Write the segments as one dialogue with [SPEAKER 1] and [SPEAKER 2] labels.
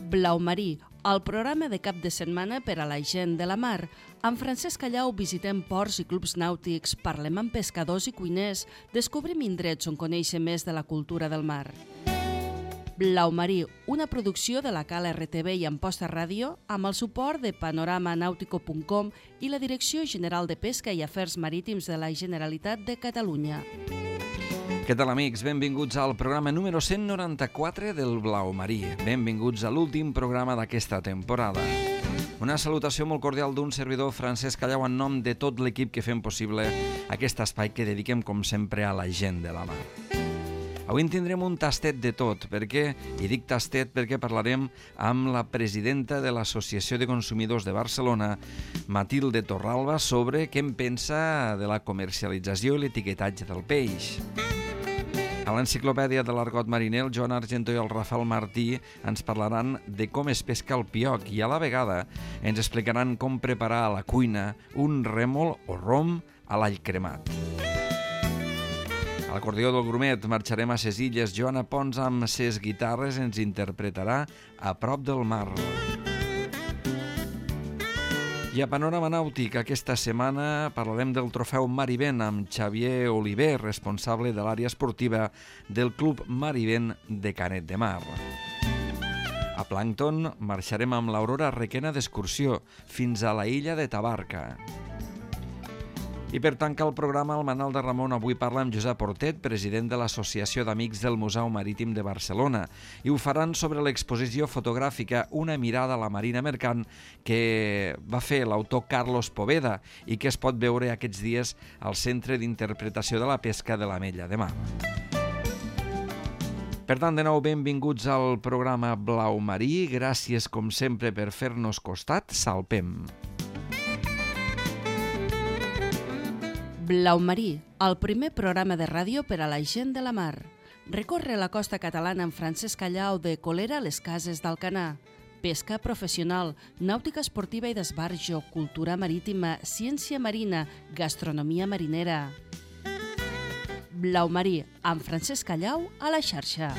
[SPEAKER 1] Blau Marí, el programa de cap de setmana per a la gent de la mar. Amb Francesc Callau visitem ports i clubs nàutics, parlem amb pescadors i cuiners, descobrim indrets on conèixer més de la cultura del mar. Blau Marí, una producció de la Cala RTV i Amposta Ràdio amb el suport de panoramanautico.com i la Direcció General de Pesca i Afers Marítims de la Generalitat de Catalunya.
[SPEAKER 2] Què tal, amics? Benvinguts al programa número 194 del Blau Marí. Benvinguts a l'últim programa d'aquesta temporada. Una salutació molt cordial d'un servidor, Francesc Callau, en nom de tot l'equip que fem possible aquest espai que dediquem, com sempre, a la gent de la mar. Avui en tindrem un tastet de tot. Per què? I dic tastet perquè parlarem amb la presidenta de l'Associació de Consumidors de Barcelona, Matilde Torralba, sobre què en pensa de la comercialització i l'etiquetatge del peix. A l'enciclopèdia de l'argot mariner, el Joan Argentó i el Rafael Martí ens parlaran de com es pesca el pioc i a la vegada ens explicaran com preparar a la cuina un rèmol o rom a l'all cremat. A l'acordió del Grumet marxarem a ses illes. Joana Pons amb ses guitarres ens interpretarà A prop del mar. I a Panorama Nàutic, aquesta setmana parlarem del trofeu Marivent amb Xavier Oliver, responsable de l'àrea esportiva del Club Marivent de Canet de Mar. A Plàncton marxarem amb l'Aurora Requena d'excursió fins a la illa de Tabarca. I per tancar el programa, el Manal de Ramon avui parla amb Josep Portet, president de l'Associació d'Amics del Museu Marítim de Barcelona, i ho faran sobre l'exposició fotogràfica Una mirada a la marina mercant que va fer l'autor Carlos Poveda i que es pot veure aquests dies al Centre d'Interpretació de la Pesca de l'Ametlla de Mar. Per tant, de nou, benvinguts al programa Blau Marí. Gràcies, com sempre, per fer-nos costat. Salpem!
[SPEAKER 1] Blau Marí, el primer programa de ràdio per a la gent de la mar. Recorre la costa catalana amb Francesc Callau de Colera a les Cases d'Alcanar. Pesca professional, nàutica esportiva i d'esbarjo, cultura marítima, ciència marina, gastronomia marinera. Blau Marí, amb Francesc Callau a la xarxa.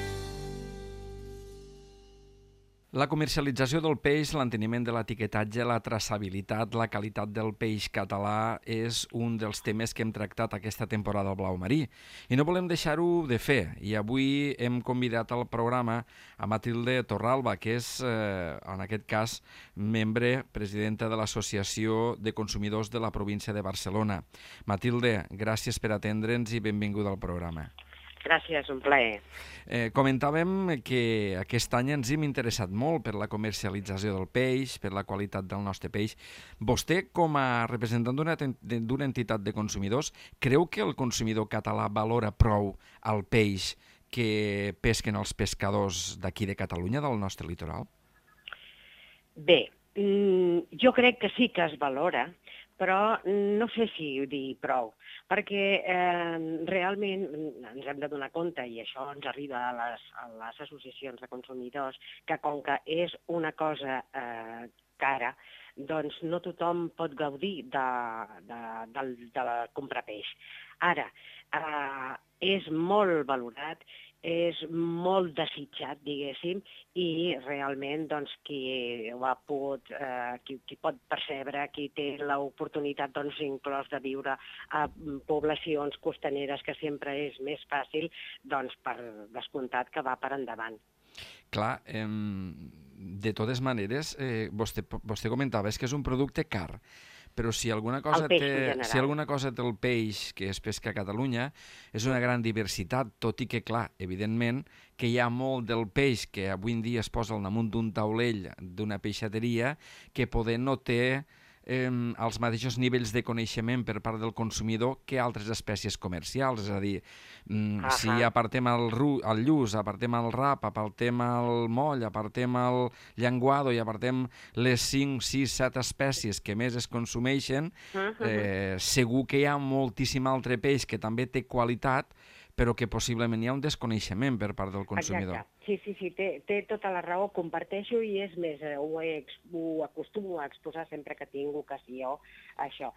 [SPEAKER 2] La comercialització del peix, l'enteniment de l'etiquetatge, la traçabilitat, la qualitat del peix català és un dels temes que hem tractat aquesta temporada al Blau Marí. I no volem deixar-ho de fer. I avui hem convidat al programa a Matilde Torralba, que és, en aquest cas, membre, presidenta de l'Associació de Consumidors de la província de Barcelona. Matilde, gràcies per atendre'ns i benvinguda al programa.
[SPEAKER 3] Gràcies, un plaer.
[SPEAKER 2] Comentàvem que aquest any ens hem interessat molt per la comercialització del peix, per la qualitat del nostre peix. Vostè, com a representant d'una entitat de consumidors, creu que el consumidor català valora prou el peix que pesquen els pescadors d'aquí de Catalunya, del nostre litoral?
[SPEAKER 3] Bé, jo crec que sí que es valora, però no sé si dir prou, perquè realment ens hem de donar compte, i això ens arriba a les associacions de consumidors, que com que és una cosa cara, doncs no tothom pot gaudir de comprar peix. Ara, és molt valorat, és molt desitjat, diguéssim, i realment doncs, qui pot percebre, qui té l'oportunitat doncs, inclòs de viure a poblacions costaneres, que sempre és més fàcil, doncs per descomptat que va per endavant.
[SPEAKER 2] Clar, de totes maneres, vostè comentava que és un producte car, però si alguna cosa té el peix que es pesca a Catalunya és una gran diversitat, tot i que, clar, evidentment, que hi ha molt del peix que avui en dia es posa al damunt d'un taulell d'una peixateria que poder no té els mateixos nivells de coneixement per part del consumidor que altres espècies comercials. És a dir, si apartem el lluç, apartem el rap, apartem el moll, apartem el llenguado i apartem les 5, 6, 7 espècies que més es consumeixen, segur que hi ha moltíssim altre peix que també té qualitat, però que possiblement hi ha un desconeixement per part del consumidor.
[SPEAKER 3] Exacte, sí, té tota la raó, comparteixo i és més, ho acostumo a exposar sempre que tinc ocasió, això.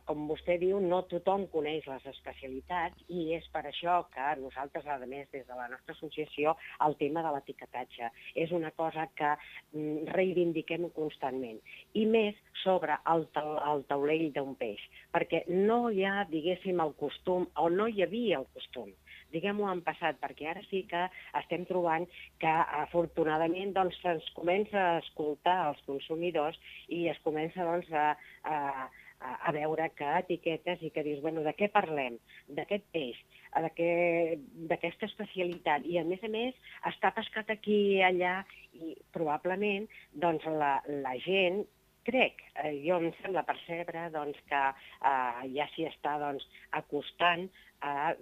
[SPEAKER 3] Com vostè diu, no tothom coneix les especialitats i és per això que nosaltres, a més, des de la nostra associació, el tema de l'etiquetatge és una cosa que reivindiquem constantment. I més sobre el taulell d'un peix, perquè no hi ha, diguéssim, el costum, o no hi havia el costum, diguem-ho en passat, perquè ara sí que estem trobant que, afortunadament, doncs, se'ns comença a escoltar els consumidors i es comença, doncs, a veure que etiquetes i que dius, bueno, de què parlem? D'aquest peix, d'aquesta especialitat. I, a més, està pescat aquí i allà i, probablement, doncs, la gent, crec, jo em sembla percebre doncs, que ja s'hi està doncs, acostant a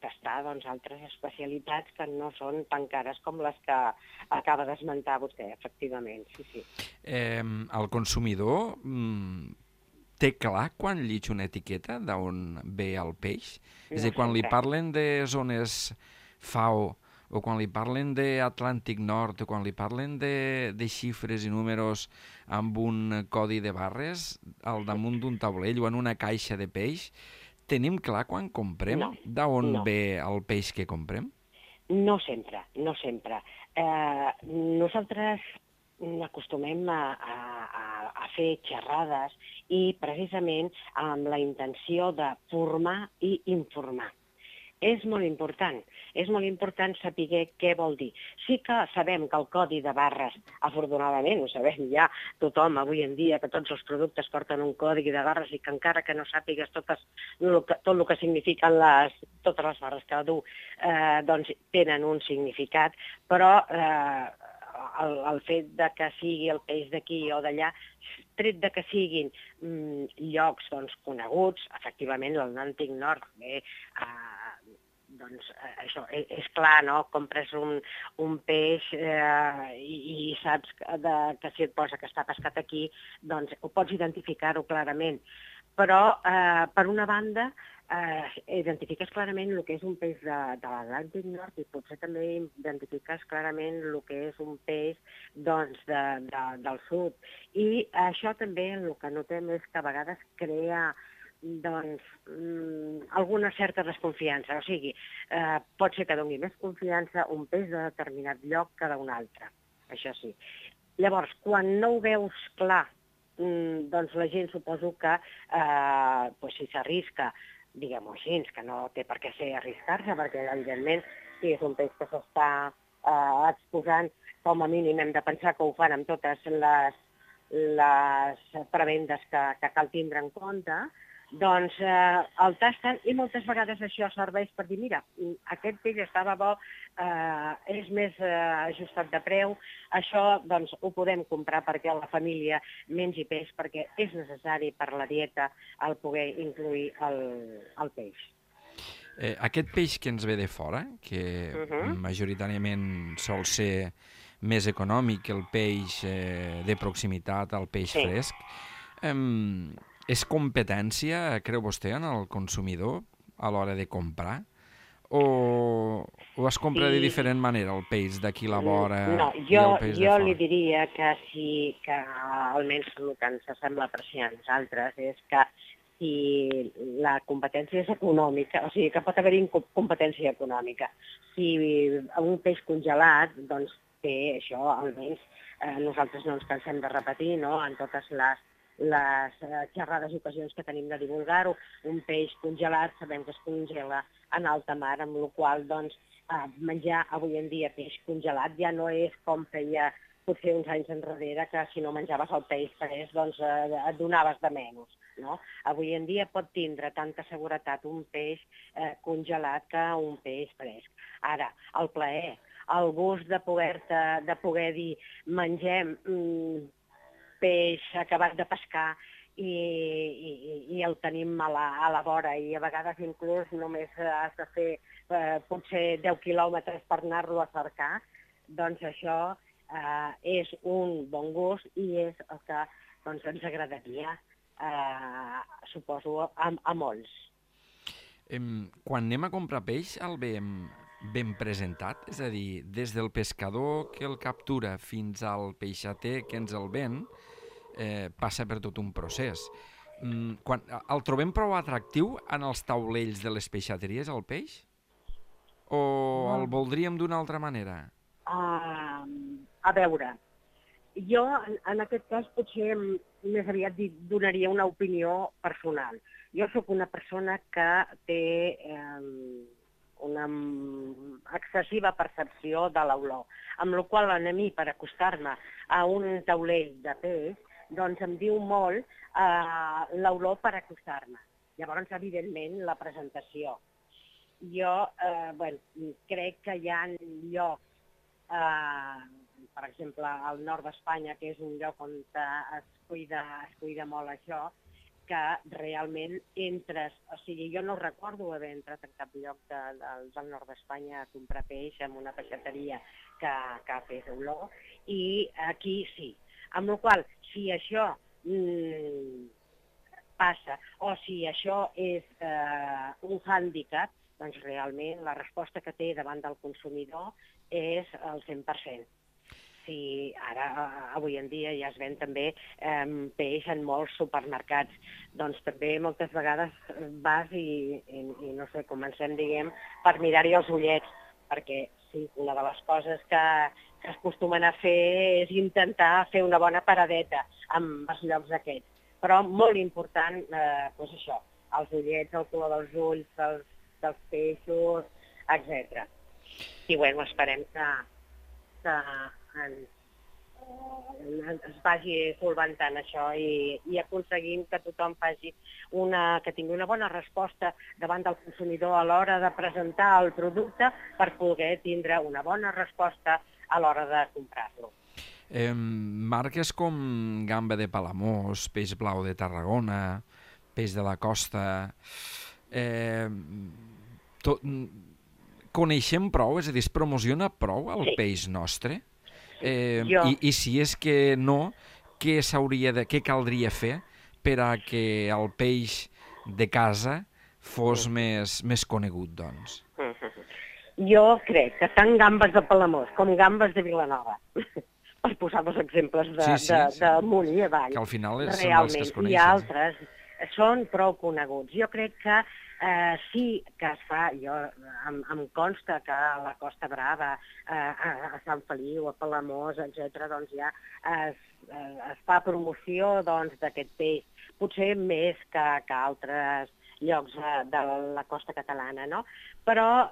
[SPEAKER 3] tastar doncs, altres especialitats que no són tan cares com les que acaba d'esmentar vostè, efectivament. Sí.
[SPEAKER 2] El consumidor té clar quan llig una etiqueta d'on ve el peix? És a dir, quan li parlen de zones FAO o quan li parlen d'Atlàntic Nord o quan li parlen de xifres i números amb un codi de barres al damunt d'un taulell o en una caixa de peix, tenim clar quan comprem d'on ve el peix que comprem?
[SPEAKER 3] No sempre. Nosaltres acostumem a fer xerrades i precisament amb la intenció de formar i informar. És molt important saber què vol dir. Sí que sabem que el codi de barres, afortunadament, ho sabem ja tothom avui en dia, que tots els productes porten un codi de barres i que encara que no sàpigues tot el que signifiquen totes les barres que du, doncs tenen un significat, però el fet de que sigui el peix d'aquí o d'allà, tret de que siguin llocs doncs, coneguts, efectivament l'Atlàntic Nord, doncs això és clar, no? Compres un peix i saps que si et posa que està pescat aquí, doncs ho pots identificar-ho clarament. Però, per una banda, identifiques clarament el que és un peix de l'Atlàntic Nord i potser també identifiques clarament el que és un peix doncs, del sud. I això també el que notem és que a vegades crea doncs, alguna certa desconfiança. O sigui, pot ser que doni més confiança un peix de determinat lloc que d'un altre, això sí. Llavors, quan no ho veus clar, doncs la gent suposo que si s'arrisca, diguem-ho així, que no té per què ser arriscar-se, perquè evidentment si és un peix que s'està exposant, com a mínim hem de pensar que ho fan amb totes les prebendes que cal tindre en compte, doncs el tasten i moltes vegades això serveix per dir, mira, aquest peix estava bo, és més ajustat de preu, això doncs ho podem comprar perquè la família mengi peix, perquè és necessari per la dieta el poder incluir el peix.
[SPEAKER 2] Aquest peix que ens ve de fora, que majoritàriament sol ser més econòmic que el peix de proximitat, el peix fresc, és competència, creu vostè, en el consumidor a l'hora de comprar? O es compra de diferent manera el peix d'aquí la vora i el peix de fora?
[SPEAKER 3] Jo li diria que sí, que almenys el que ens sembla apreciar a nosaltres és que si la competència és econòmica, o sigui que pot haver-hi competència econòmica. Si un peix congelat, doncs té això, almenys nosaltres no ens cansem de repetir, no?, en totes les xerrades i ocasions que tenim de divulgar-ho. Un peix congelat sabem que es congela en alta mar, amb la qual doncs, menjar avui en dia peix congelat ja no és com feia potser uns anys enrere, que si no menjaves el peix fresc doncs et donaves de menys. No? Avui en dia pot tindre tanta seguretat un peix congelat que un peix fresc. Ara, el plaer, el gust de poder dir mengem peix acabat de pescar i el tenim a la vora i a vegades inclús només has de fer potser 10 quilòmetres per anar-lo a cercar, doncs això és un bon gust i és el que doncs, ens agradaria, suposo, a molts.
[SPEAKER 2] Quan anem a comprar peix, el veiem ben presentat? És a dir, des del pescador que el captura fins al peixater que ens el ven, passa per tot un procés. El trobem prou atractiu en els taulells de les peixateries, el peix? O el voldríem d'una altra manera?
[SPEAKER 3] A veure, jo en aquest cas potser més aviat donaria una opinió personal. Jo sóc una persona que té una excessiva percepció de l'olor, amb la qual cosa a mi, per acostar-me a un taulell de peix, doncs em diu molt l'olor per acostar-me. Llavors, evidentment, la presentació. Jo crec que hi ha llocs, per exemple, al nord d'Espanya, que és un lloc on es cuida molt això, que realment entres, o sigui, jo no recordo haver entrat en cap lloc del nord d'Espanya a comprar peix en una peixateria que fes olor, i aquí sí. Amb la qual cosa, si això passa o si això és un hàndicap, doncs realment la resposta que té davant del consumidor és el 100%. Sí, ara, avui en dia, ja es ven també peix en molts supermercats. Doncs també moltes vegades vas i no sé, comencem, diguem, per mirar-hi els ullets, perquè sí, una de les coses que es acostumen a fer és intentar fer una bona paradeta amb els llocs aquests. Però molt important, doncs això, els ullets, el color dels ulls, dels peixos, etc. I bueno, esperem que es vagi solventant això i aconseguim que tothom que tingui una bona resposta davant del consumidor a l'hora de presentar el producte per poder tindre una bona resposta a l'hora de comprar-lo.
[SPEAKER 2] Marques com gamba de Palamós, peix blau de Tarragona, peix de la costa... Coneixem prou? És a dir, es promociona prou el peix nostre? I si és que no, què caldria fer per a que el peix de casa fos més conegut, doncs?
[SPEAKER 3] Jo crec que tant gambes de Palamós com gambes de Vilanova, per posar dos exemples d'amunt i avall,
[SPEAKER 2] que al final són els que es coneixen.
[SPEAKER 3] I altres són prou coneguts. Jo crec que sí que es fa, em consta que a la Costa Brava, a Sant Feliu, a Palamós, etc., doncs ja es fa promoció d'aquest peix, potser més que altres llocs de la costa catalana, no? Però,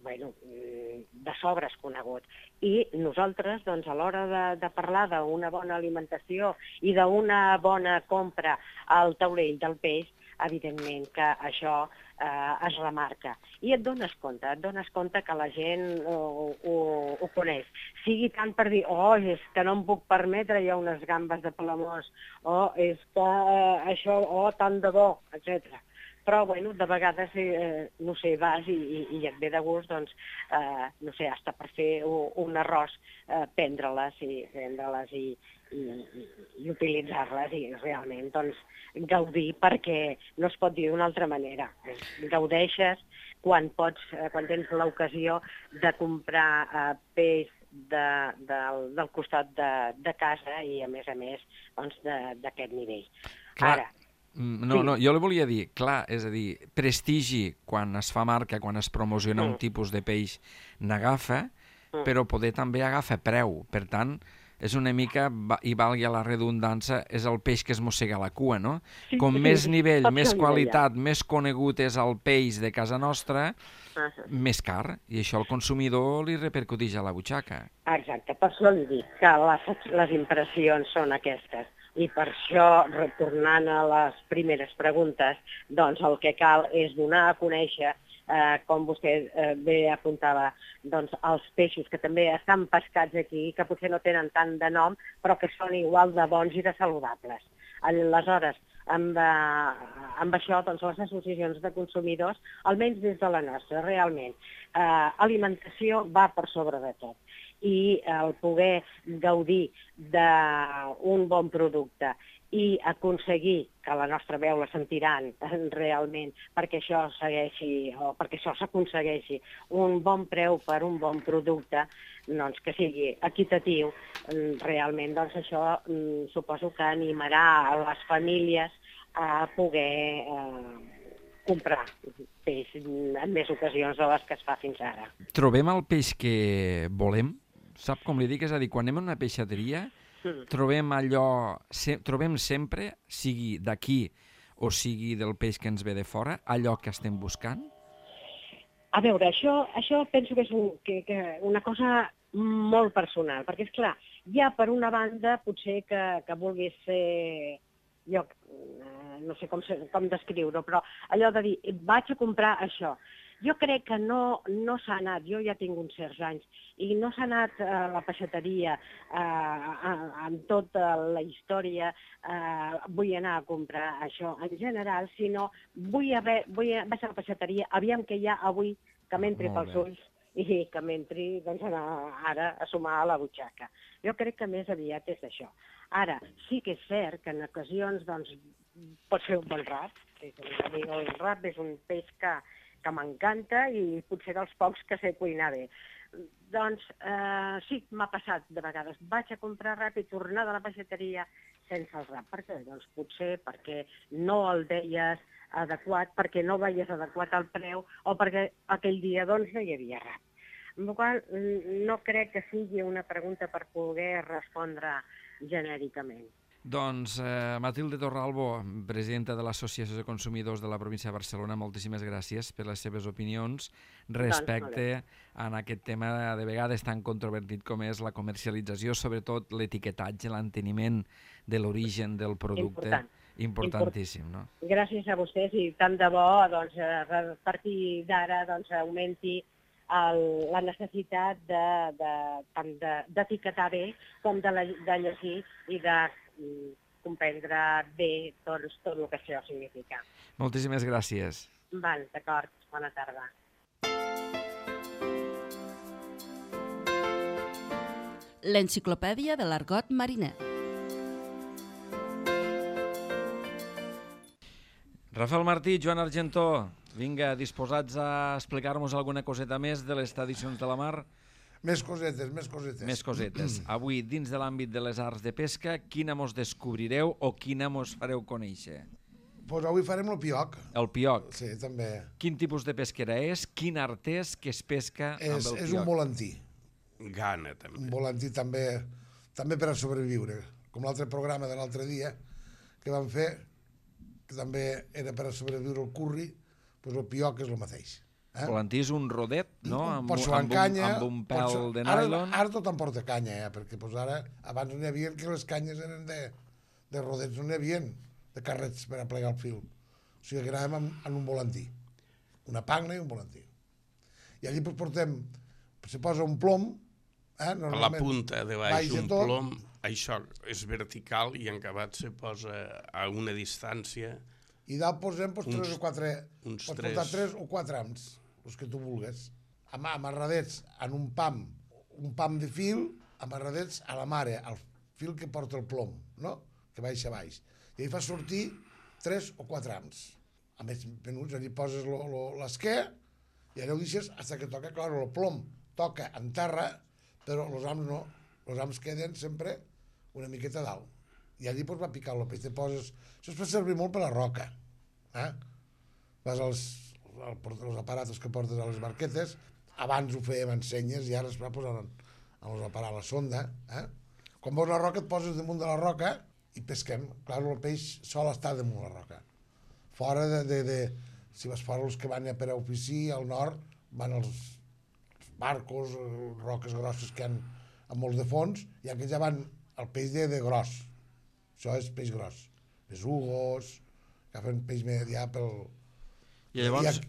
[SPEAKER 3] de sobres conegut. I nosaltres, doncs, a l'hora de parlar d'una bona alimentació i d'una bona compra al taulell del peix, evidentment que això es remarca. I et dones compte que la gent ho coneix. Sigui tant per dir, és que no em puc permetre ja unes gambes de Palamós, és que això, tant de bo, etc. Però, de vegades, no sé, vas i et ve de gust, doncs, no sé, hasta per fer un arròs, prendre-les i utilitzar-les i realment, doncs, gaudir, perquè no es pot dir d'una altra manera. Gaudeixes quan tens l'ocasió de comprar peix del costat de casa i, a més, doncs, d'aquest nivell. Ara,
[SPEAKER 2] no, jo li volia dir, clar, és a dir, prestigi quan es fa marca, quan es promociona un tipus de peix, n'agafa, però poder també agafa preu. Per tant, és una mica, i valgui la redundància, és el peix que es mossega la cua, no? Com més nivell, més qualitat, més conegut és el peix de casa nostra, més car, i això al consumidor li repercuteix a la butxaca.
[SPEAKER 3] Exacte, per això li dic que les impressions són aquestes. I per això, retornant a les primeres preguntes, doncs el que cal és donar a conèixer, com vostè bé apuntava, doncs els peixos que també estan pescats aquí, que potser no tenen tant de nom, però que són igual de bons i de saludables. Aleshores, amb això, doncs les associacions de consumidors, almenys des de la nostra, realment, alimentació va per sobre de tot. I el poder gaudir d'un bon producte i aconseguir que la nostra veu la sentiran realment perquè això segueixi o perquè això s'aconsegueixi un bon preu per un bon producte, doncs que sigui equitatiu, realment doncs això suposo que animarà a les famílies a poder comprar peix en més ocasions de les que es fa fins ara.
[SPEAKER 2] Trobem el peix que volem? Sap com li dic? És a dir, quan anem a una peixateria trobem sempre, sigui d'aquí o sigui del peix que ens ve de fora, allò que estem buscant?
[SPEAKER 3] A veure, això penso que és una cosa molt personal, perquè, és clar, ja per una banda potser que vulguis ser, jo no sé com descriure-ho, però allò de dir, vaig a comprar això. Jo crec que no s'ha anat, jo ja tinc uns certs anys, i no s'ha anat a la peixateria amb tota la història, vull anar a comprar això en general, sinó vaig a la peixateria, aviam què hi ha avui que m'entri pels ulls i que m'entri doncs, ara a sumar a la butxaca. Jo crec que més aviat és això. Ara, sí que és cert que en ocasions doncs, pots fer un bon rap, el rap és un peix que m'encanta i potser dels pocs que sé cuinar bé. Doncs sí, m'ha passat de vegades. Vaig a comprar rap i tornar de la peixateria sense el rap. Per què? Doncs potser perquè no el veies adequat, perquè no veies adequat el preu o perquè aquell dia doncs, no hi havia rap. Amb la qual cosa no crec que sigui una pregunta per poder respondre genèricament.
[SPEAKER 2] Doncs Matilde Torralbo, presidenta de l'Associació de Consumidors de la província de Barcelona, moltíssimes gràcies per les seves opinions respecte a aquest tema de vegades tan controvertit com és la comercialització, sobretot l'etiquetatge, l'enteniment de l'origen del producte. Importantíssim, no? Gràcies
[SPEAKER 3] a vostès i tant de bo doncs, a partir d'ara doncs, augmenti la necessitat tant d'etiquetar bé com de llegir i de comprendre bé tot el que això significa.
[SPEAKER 2] Moltíssimes gràcies.
[SPEAKER 3] D'acord. Bona tarda.
[SPEAKER 1] L'enciclopèdia de l'argot mariner.
[SPEAKER 2] Rafael Martí, Joan Argentó, vinga, disposats a explicar-nos alguna coseta més de les tradicions de la mar?
[SPEAKER 4] Més cosetes.
[SPEAKER 2] Avui, dins de l'àmbit de les arts de pesca, quina mos descobrireu o quina mos fareu conèixer?
[SPEAKER 4] Doncs avui farem el pioc.
[SPEAKER 2] El pioc?
[SPEAKER 4] Sí, també.
[SPEAKER 2] Quin tipus de pesquera és? Quin art és que es pesca amb el pioc?
[SPEAKER 4] És un volantí.
[SPEAKER 5] Gana, també.
[SPEAKER 4] Un volantí també per a sobreviure. Com l'altre programa de l'altre dia que vam fer, que també era per a sobreviure el curri, doncs el pioc és el mateix.
[SPEAKER 2] Volantí és un rodet, no? Amb un pèl de
[SPEAKER 4] nylon. Ara tot em porta canya, perquè ara abans no n'hi havia que les canyes eren de rodets, no n'hi havia de carrets per a plegar el fil. O sigui que anàvem en un volantí. Una pagna i un volantí. I allí portem, se posa un plom,
[SPEAKER 5] a la punta de baix un plom, això és vertical i en acabat se posa a una distància.
[SPEAKER 4] I dalt posem 3 o 4, pots portar 3 o 4 ams, els que tu vulguis, amarradets en un pam de fil, amarradets a la mare, al fil que porta el plom, no? Que baixa a baix. I ahí fa sortir 3 o 4 ams. A més menuts, allà poses l'esquer i allà ho deixes fins que toca, clar, el plom toca en terra, però els ams no, els ams queden sempre una miqueta dalt. I allí va picar el peix. Això es fa servir molt per la roca. Vas als aparatos que portes a les barquetes, abans ho fèiem en senyes i ara es va posar en a la sonda. Quan veus la roca et poses damunt de la roca i pesquem. Clar, el peix sol estar damunt de la roca. Fora si vas fora els que van per a ofici, al nord, van els barcos, roques grosses que hi ha molts de fons, i aquells ja van el peix de gros. Això és peix gros. Besugos, agafen peix ja pel...
[SPEAKER 2] I llavors,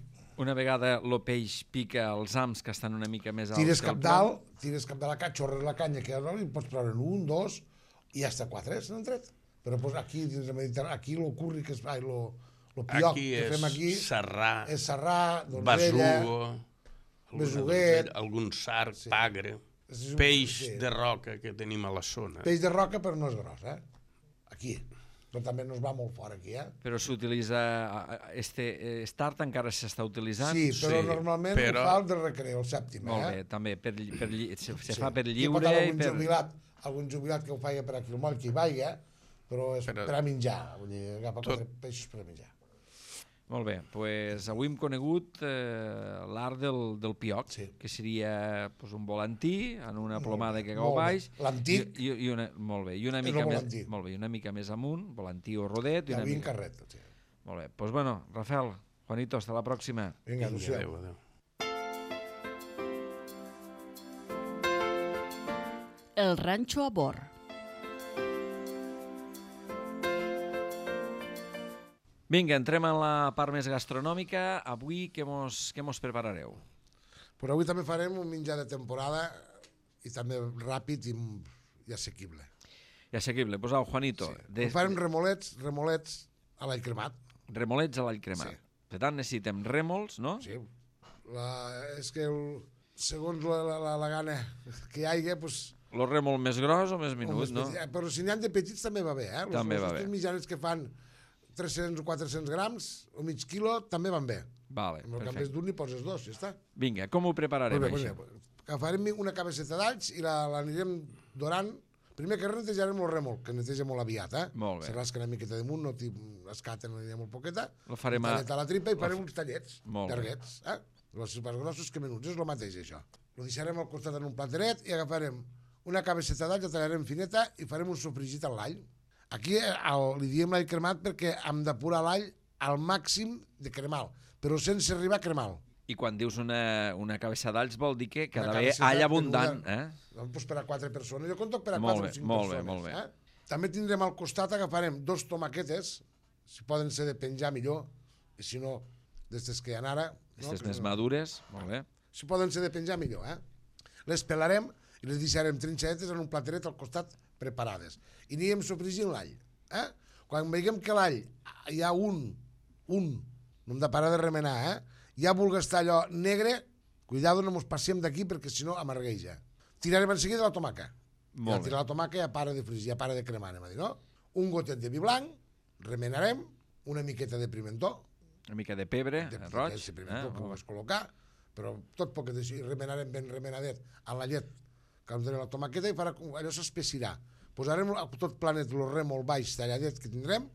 [SPEAKER 2] una vegada el peix pica els ams que estan una mica més alts...
[SPEAKER 4] Tires cap dalt la canya, xorres la canya, que i pots treure 1, 2, i hasta 4 se n'han tret. Però aquí, dins del Mediterrani, aquí el curri que es fa, el pioc que fem aquí... És serrà, donzella, besuguet...
[SPEAKER 5] Algun sarg, pagre, peix de roca que tenim a la zona.
[SPEAKER 4] Peix de roca, però no és gros, Aquí. però també no es va molt fort aquí,
[SPEAKER 2] Però s'utilitza... Start encara s'està utilitzant?
[SPEAKER 4] Sí, però normalment ho fa el de recreo, el sèptim,
[SPEAKER 2] Molt bé, també, se fa per lliure i per...
[SPEAKER 4] Algun jubilat que ho faia per aquí al moll que hi vaya, però és per a menjar, vull dir, agafa 4 peixos per a menjar.
[SPEAKER 2] Molt bé, doncs avui hem conegut l'art del pioc, que seria un volantí en una plomada que cau baix.
[SPEAKER 4] L'antic.
[SPEAKER 2] Molt bé, i una mica més amunt, volantí o rodet.
[SPEAKER 4] I avui en carret.
[SPEAKER 2] Molt bé, doncs bueno, Rafael, Juanito, hasta la pròxima.
[SPEAKER 4] Vinga, adéu.
[SPEAKER 1] El ranxo a bord.
[SPEAKER 2] Vinga, entrem en la part més gastronòmica. Avui què mos preparareu?
[SPEAKER 4] Però avui també farem un menjar de temporada i també ràpid i assequible.
[SPEAKER 2] I assequible. Posau, Juanito.
[SPEAKER 4] Farem remolets a l'all cremat.
[SPEAKER 2] Remolets a l'all cremat. Per tant, necessitem rèmols, no?
[SPEAKER 4] Sí. És que segons la gana que hi hagi, doncs...
[SPEAKER 2] El rèmol més gros o més minut, no?
[SPEAKER 4] Però si n'hi ha de petits també va bé,
[SPEAKER 2] També va bé.
[SPEAKER 4] Els mitjanets que fan 300 o 400 grams o mig quilo també van bé.
[SPEAKER 2] Vale,
[SPEAKER 4] en el canvi d'un n'hi poses 2, ja està.
[SPEAKER 2] Vinga, com ho prepararem, això?
[SPEAKER 4] Agafarem una cabeçeta d'alls i l'anirem dorant. Primer que netejarem el rèmol, que neteja molt aviat,
[SPEAKER 2] Molt bé.
[SPEAKER 4] Se rasca una miqueta damunt, no l'escaten, n'anirem molt poqueta.
[SPEAKER 2] Lo farem
[SPEAKER 4] a la tripa i farem uns tallets, llarguets, Els més grossos que menuts, és el mateix, això. Lo deixarem al costat en un plateret i agafarem una cabeçeta d'alls, la tallarem fineta i farem un sofregit a l'all. Aquí li diem l'all cremat perquè hem d'apurar l'all al màxim de cremal, però sense arribar a cremal.
[SPEAKER 2] I quan dius una cabeça d'alls vol dir que ha d'haver all abundant,
[SPEAKER 4] Doncs per a 4 persones. Jo conto per a 4 o 5 persones.
[SPEAKER 2] Molt bé.
[SPEAKER 4] També tindrem al costat, agafarem 2 tomaquetes, si poden ser de penjar millor, i si no, d'estes que hi ha ara...
[SPEAKER 2] Aquestes més madures, molt bé.
[SPEAKER 4] Si poden ser de penjar millor, Les pelarem i les deixarem trinxadetes en un plateret al costat preparades. I anirem sofregint l'all. Quan veiem que l'all hi ha no hem de parar de remenar, ja vulgui estar allò negre, cuidado, no mos passem d'aquí perquè si no amargueja. Tirarem en seguida la tomaca. I al tirar la tomaca ja para de fregir, ja para de cremar, anem a dir, no? Un gotet de vi blanc, remenarem, una miqueta de pimentó,
[SPEAKER 2] una mica de pebre, roig.
[SPEAKER 4] De pimentó que ho vas col·locar, però tot poquet així, remenarem ben remenadet a la llet que ens donem la tomaqueta i allò s'espessirà. Posarem tot planet el rèmol baix talladet que tindrem,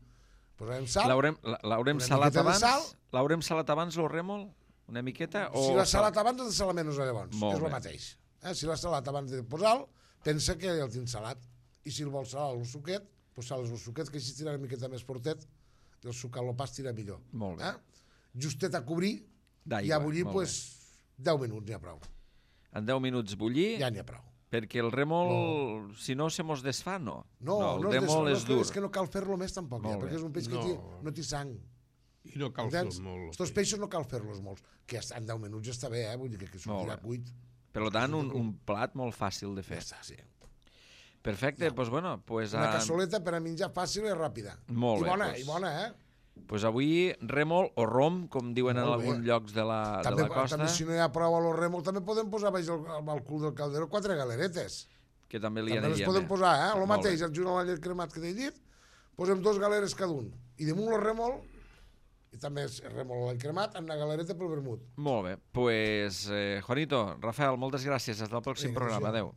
[SPEAKER 4] posarem sal.
[SPEAKER 2] L'haurem salat abans? L'haurem salat abans el rèmol? Una miqueta?
[SPEAKER 4] Si l'ha salat abans, has de salar menys llavors. És el mateix. Si l'ha salat abans de posar-lo, pensa que el tens salat. I si el vols salar el suquet, doncs sales el suquet, que així tira una miqueta més fortet i el suc al pas tira millor.
[SPEAKER 2] Molt bé.
[SPEAKER 4] Justet a cobrir i a bullir 10 minuts, n'hi ha prou.
[SPEAKER 2] En 10 minuts bullir?
[SPEAKER 4] Ja n'hi ha prou.
[SPEAKER 2] Perquè el rèmol, si no, se mos desfà, no?
[SPEAKER 4] No,
[SPEAKER 2] el rèmol és dur.
[SPEAKER 4] És que no cal fer-lo més tampoc, perquè és un peix que no té sang.
[SPEAKER 5] I no cal fer molt.
[SPEAKER 4] Aquests peixos no cal fer-los molts, que en 10 minuts ja està bé, vull dir que sortirà cuit.
[SPEAKER 2] Per tant, un plat molt fàcil de fer.
[SPEAKER 4] Ja està, sí.
[SPEAKER 2] Perfecte, doncs bueno...
[SPEAKER 4] Una cassoleta per a menjar fàcil i ràpida.
[SPEAKER 2] Molt bé.
[SPEAKER 4] I bona,
[SPEAKER 2] Doncs avui rèmol o rom, com diuen en alguns llocs de la costa.
[SPEAKER 4] També si no hi ha prou a lo rèmol, també podem posar baix al cul del calderó 4 galeretes.
[SPEAKER 2] Que també li
[SPEAKER 4] aniria bé. També les podem posar, el mateix, junt a la llet cremat que t'he dit, posem 2 galeres cada un. I damunt el rèmol, i també és rèmol a la cremat, amb una galereta pel vermut.
[SPEAKER 2] Molt bé. Doncs, Juanito, Rafael, moltes gràcies. Fins al pròxim programa. Adéu.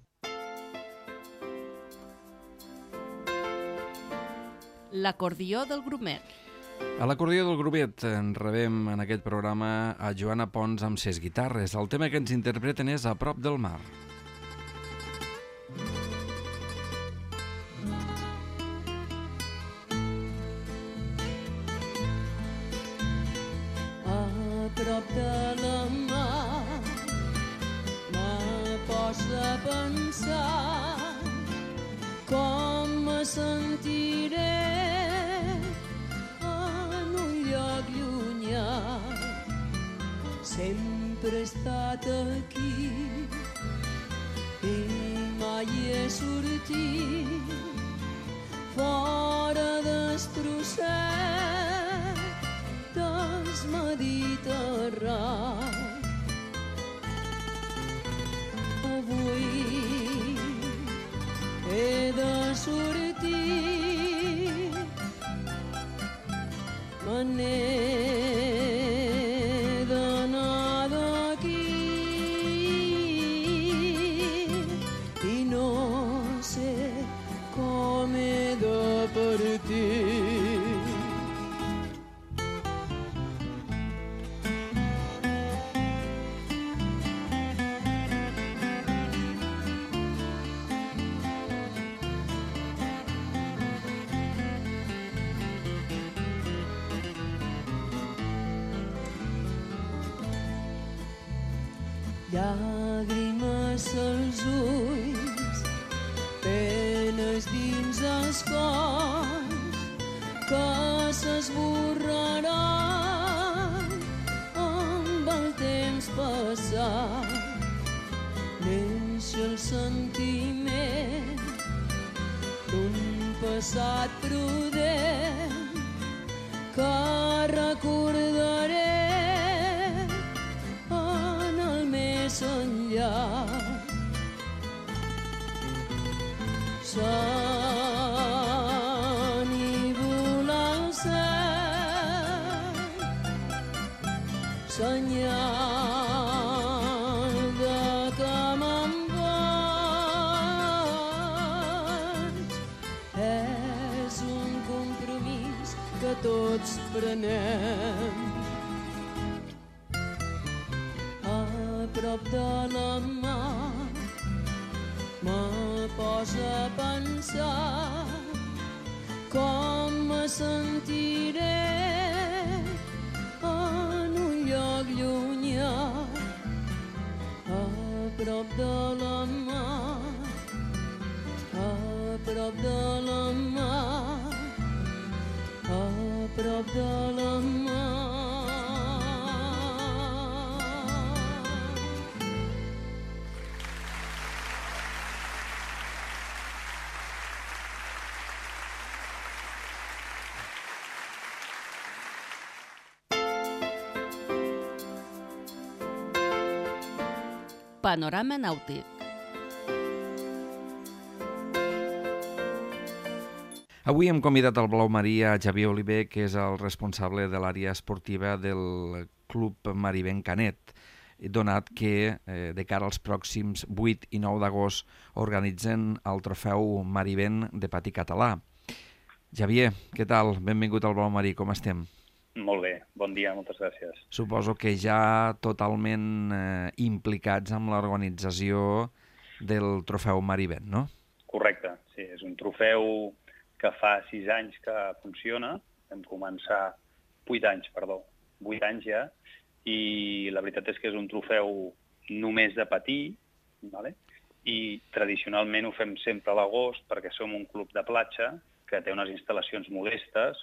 [SPEAKER 1] L'acordió del grumet.
[SPEAKER 2] A l'acordió del grumet en rebem en aquest programa a Joana Pons amb ses guitarres. El tema que ens interpreten és A prop del mar.
[SPEAKER 6] A prop de la mar me posa a pensar com me sentiré sempre he estat aquí i mai he sortit fora del procés del Mediterrani. Avui he de sortir llàgrimes als ulls, penes dins els cors que s'esborraran amb el temps passat. Neix el sentiment d'un passat prudent que recordaré en el més enllà. S'ennívola el cel, senyal de que me'n vaig. És un compromís que tots prenem. A prop de la mar me posa a pensar com me sentiré en un lloc llunyà. A prop de la mar, a prop de la mar, a prop de la mar.
[SPEAKER 1] Panorama nàutic.
[SPEAKER 2] Avui hem convidat al Blau Marí a Xavier Oliver, que és el responsable de l'àrea esportiva del Club Mariben Canet, donat que de cara als pròxims 8 i 9 d'agost organitzen el trofeu Mariben de patí català. Xavier, què tal? Benvingut al Blau Marí, com estem?
[SPEAKER 7] Molt bé, bon dia, moltes gràcies.
[SPEAKER 2] Suposo que ja totalment implicats amb l'organització del trofeu Mariben, no?
[SPEAKER 7] Correcte, sí, és un trofeu que fa 6 anys que funciona. Vam començar 8 anys ja, i la veritat és que és un trofeu només de patí, ¿vale? I tradicionalment ho fem sempre a l'agost perquè som un club de platja que té unes instal·lacions modestes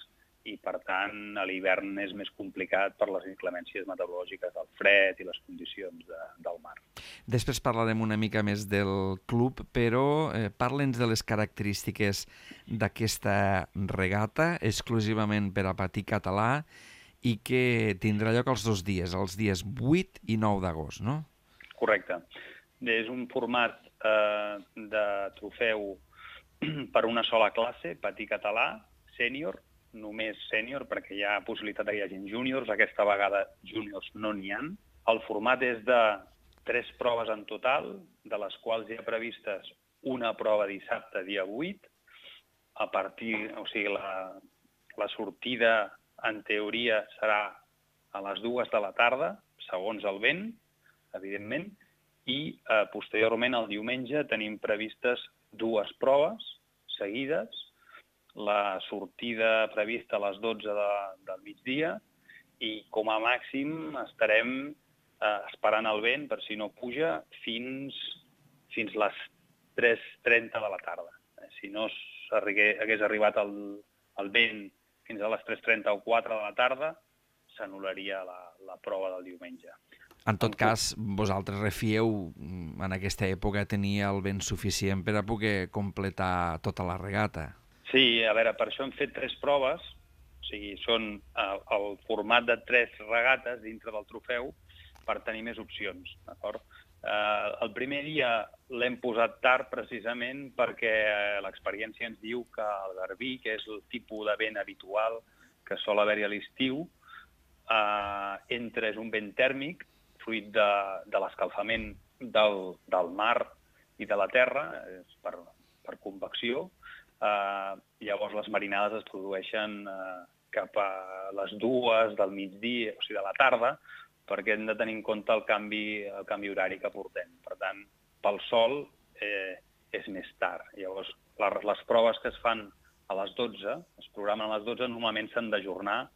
[SPEAKER 7] i, per tant, a l'hivern és més complicat per les inclemències meteorològiques del fred i les condicions del mar.
[SPEAKER 2] Després parlarem una mica més del club, però parla'ns de les característiques d'aquesta regata, exclusivament per a patí català, i que tindrà lloc els 2 dies, els dies 8 i 9 d'agost, no?
[SPEAKER 7] Correcte. És un format de trofeu per una sola classe, patí català, sènior, només sènior, perquè hi ha possibilitat que hi hagi júniors. Aquesta vegada júniors no n'hi ha. El format és de 3 proves en total, de les quals hi ha previstes una prova dissabte, dia 8. La sortida, en teoria, serà a les 2 de la tarda, segons el vent, evidentment, i posteriorment, el diumenge, tenim previstes 2 proves seguides. La sortida prevista a les 12 del migdia i com a màxim estarem esperant el vent, per si no puja, fins les 3:30 de la tarda. Si no hagués arribat el vent fins a les 3:30 o 4 de la tarda, s'anul·laria la prova del diumenge.
[SPEAKER 2] En tot cas, vosaltres refieu en aquesta època tenir el vent suficient per a poder completar tota la regata.
[SPEAKER 7] Sí, a veure, per això hem fet 3 proves, o sigui, són el format de 3 regates dintre del trofeu per tenir més opcions, d'acord? El primer dia l'hem posat tard precisament perquè l'experiència ens diu que el garbí, que és el tipus de vent habitual que sol haver-hi a l'estiu, és un vent tèrmic, fruit de l'escalfament del mar i de la terra, per convecció. Llavors les marinades es produeixen cap a les 2 del migdia, o sigui, de la tarda, perquè hem de tenir en compte el canvi horari que portem. Per tant, pel sol és més tard. Llavors, les proves que es fan a les 12, es programen a les 12, normalment s'han d'ajornar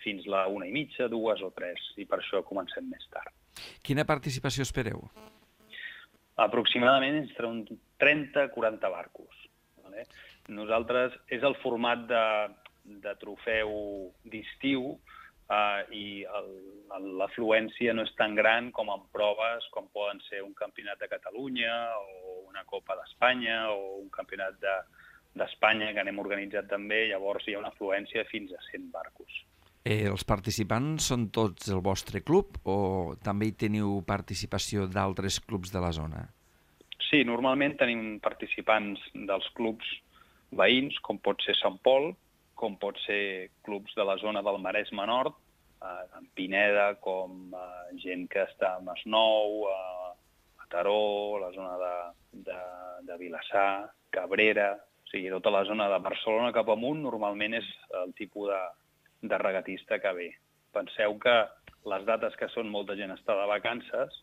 [SPEAKER 7] fins la 1:30, 2 o 3, i per això comencem més tard.
[SPEAKER 2] Quina participació espereu?
[SPEAKER 7] Aproximadament entre un 30-40 barcos. Vale? Nosaltres, és el format de trofeu d'estiu i l'afluència no és tan gran com en proves com poden ser un campionat de Catalunya o una Copa d'Espanya o un campionat d'Espanya que anem organitzat també, llavors hi ha una afluència fins a 100 barcos.
[SPEAKER 2] Els participants són tots el vostre club o també hi teniu participació d'altres clubs de la zona?
[SPEAKER 7] Sí, normalment tenim participants dels clubs veïns, com pot ser Sant Pol, com pot ser clubs de la zona del Maresme Nord, en Pineda, com gent que està a Masnou, a Teró, la zona de Vilassar, Cabrera, o sigui, tota la zona de Barcelona cap amunt normalment és el tipus de regatista que ve. Penseu que les dates que són molta gent està de vacances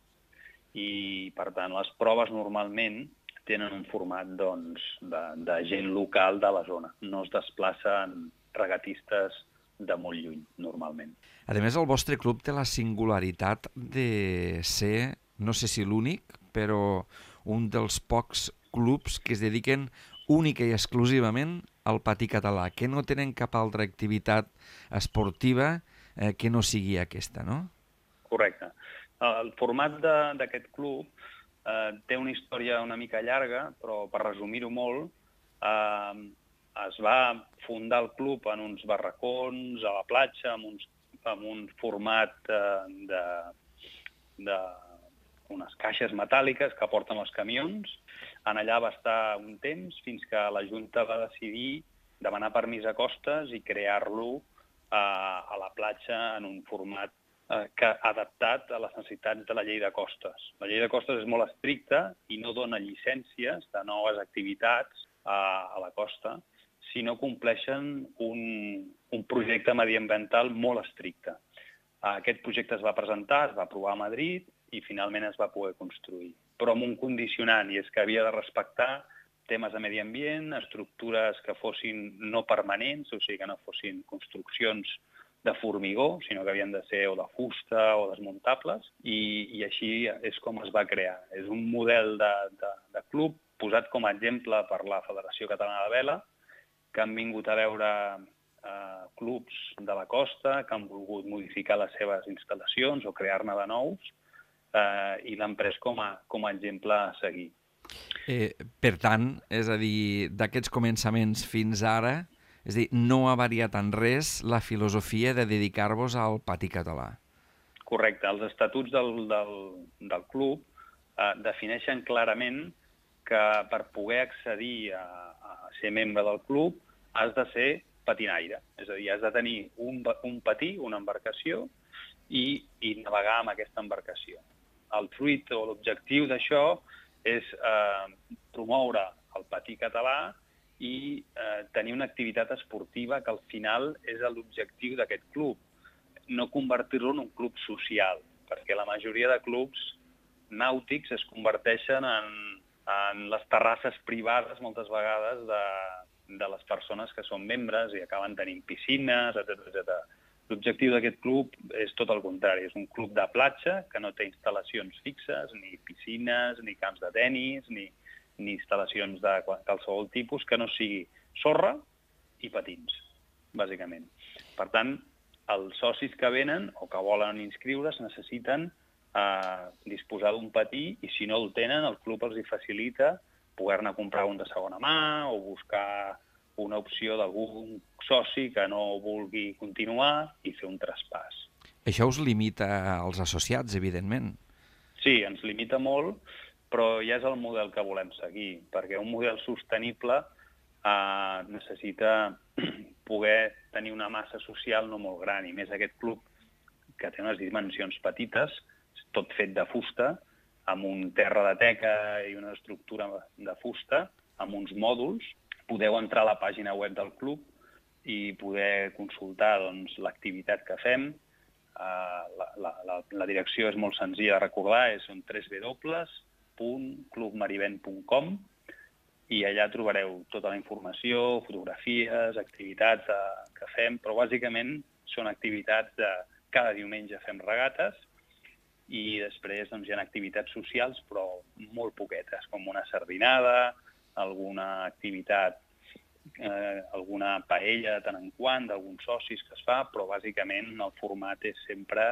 [SPEAKER 7] i, per tant, les proves normalment tenen un format de gent local de la zona. No es desplacen regatistes de molt lluny, normalment.
[SPEAKER 2] A més, el vostre club té la singularitat de ser, no sé si l'únic, però un dels pocs clubs que es dediquen única i exclusivament al patí català, que no tenen cap altra activitat esportiva que no sigui aquesta, no?
[SPEAKER 7] Correcte. El format d'aquest club té una història una mica llarga, però per resumir-ho molt, es va fundar el club en uns barracons a la platja, amb un format d'unes caixes metàl·liques que porten els camions. En allà va estar un temps fins que la Junta va decidir demanar permís a Costes i crear-lo a la platja en un format adaptat a les necessitats de la llei de costes. La llei de costes és molt estricta i no dona llicències de noves activitats a la costa si no compleixen un projecte mediambiental molt estricte. Aquest projecte es va presentar, es va aprovar a Madrid i finalment es va poder construir, però amb un condicionant, i és que havia de respectar temes de medi ambient, estructures que fossin no permanents, o sigui que no fossin construccions de formigó, sinó que havien de ser o de fusta o desmuntables, i així és com es va crear. És un model de club posat com a exemple per la Federació Catalana de Vela, que han vingut a veure clubs de la costa, que han volgut modificar les seves instal·lacions o crear-ne de nous, i l'han pres com a exemple a seguir.
[SPEAKER 2] Per tant, és a dir, d'aquests començaments fins ara, és a dir, no ha variat en res la filosofia de dedicar-vos al patí català.
[SPEAKER 7] Correcte. Els estatuts del club defineixen clarament que per poder accedir a ser membre del club has de ser patinaire. És a dir, has de tenir un patí, una embarcació, i navegar amb aquesta embarcació. El fruit o l'objectiu d'això és promoure el patí català i tenir una activitat esportiva que al final és l'objectiu d'aquest club. No convertir-lo en un club social, perquè la majoria de clubs nàutics es converteixen en les terrasses privades moltes vegades de les persones que són membres i acaben tenint piscines, etc. L'objectiu d'aquest club és tot el contrari, és un club de platja que no té instal·lacions fixes, ni piscines, ni camps de tenis, ni instal·lacions de qualsevol tipus que no sigui sorra i patins, bàsicament. Per tant, els socis que venen o que volen inscriure's necessiten disposar d'un patí i si no el tenen, el club els hi facilita poder-ne comprar un de segona mà o buscar una opció d'algun soci que no vulgui continuar i fer un traspàs.
[SPEAKER 2] Això us limita als associats, evidentment.
[SPEAKER 7] Sí, ens limita molt, però ja és el model que volem seguir, perquè un model sostenible necessita poder tenir una massa social no molt gran, i més aquest club que té unes dimensions petites, tot fet de fusta, amb un terra de teca i una estructura de fusta, amb uns mòduls. Podeu entrar a la pàgina web del club i poder consultar l'activitat que fem. La direcció és molt senzilla de recordar, és www.clubmarivent.com i allà trobareu tota la informació, fotografies, activitats que fem, però bàsicament són activitats de cada diumenge fem regates i després doncs, hi ha activitats socials, però molt poquetes, com una sardinada, alguna activitat, alguna paella de tant en quant, d'alguns socis que es fa, però bàsicament el format és sempre